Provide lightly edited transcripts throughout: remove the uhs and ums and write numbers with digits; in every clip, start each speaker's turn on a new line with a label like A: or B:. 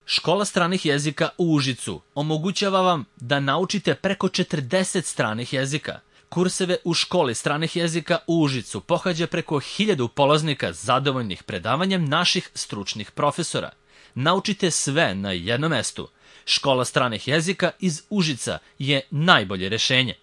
A: Škola stranih jezika u Užicu omogućava vam da naučite preko 40 stranih jezika. Kurseve u školi stranih jezika u Užicu pohađa preko 1000 polaznika zadovoljnih predavanjem naših stručnih profesora. Naučite sve na jednom mestu. Škola stranih jezika iz Užica je najbolje rešenje.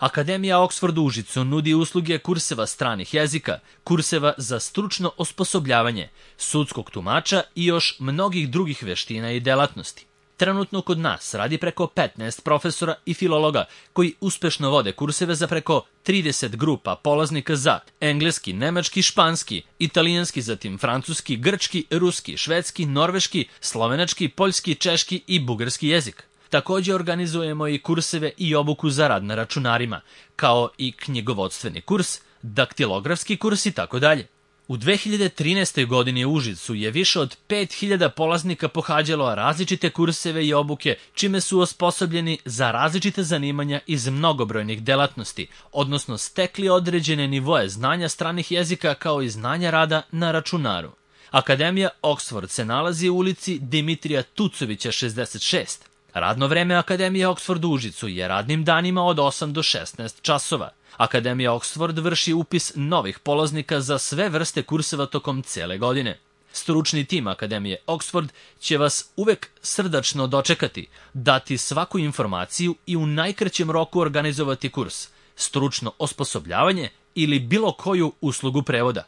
A: Akademija Oxford u Užicu nudi usluge kurseva stranih jezika, kurseva za stručno osposobljavanje, sudskog tumača i još mnogih drugih veština i delatnosti. Trenutno kod nas radi preko 15 profesora i filologa koji uspešno vode kurseve za preko 30 grupa polaznika za engleski, nemački, španski, italijanski, zatim francuski, grčki, ruski, švedski, norveški, slovenački, poljski, češki i bugarski jezik. Također organizujemo i kurseve i obuku za rad na računarima, kao i knjigovodstveni kurs, daktilografski kurs i tako dalje. U 2013. godini u Užicu je više od 5000 polaznika pohađalo različite kurseve i obuke, čime su osposobljeni za različite zanimanja iz mnogobrojnih delatnosti, odnosno stekli određene nivoe znanja stranih jezika kao i znanja rada na računaru. Akademija Oxford se nalazi u ulici Dimitrija Tucovića 66. Radno vreme Akademije Oxford u Užicu je radnim danima od 8 do 16 časova. Akademija Oxford vrši upis novih polaznika za sve vrste kurseva tokom cele godine. Stručni tim Akademije Oxford će vas uvek srdačno dočekati, dati svaku informaciju i u najkraćem roku organizovati kurs, stručno osposobljavanje ili bilo koju uslugu prevoda.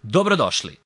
A: Dobrodošli!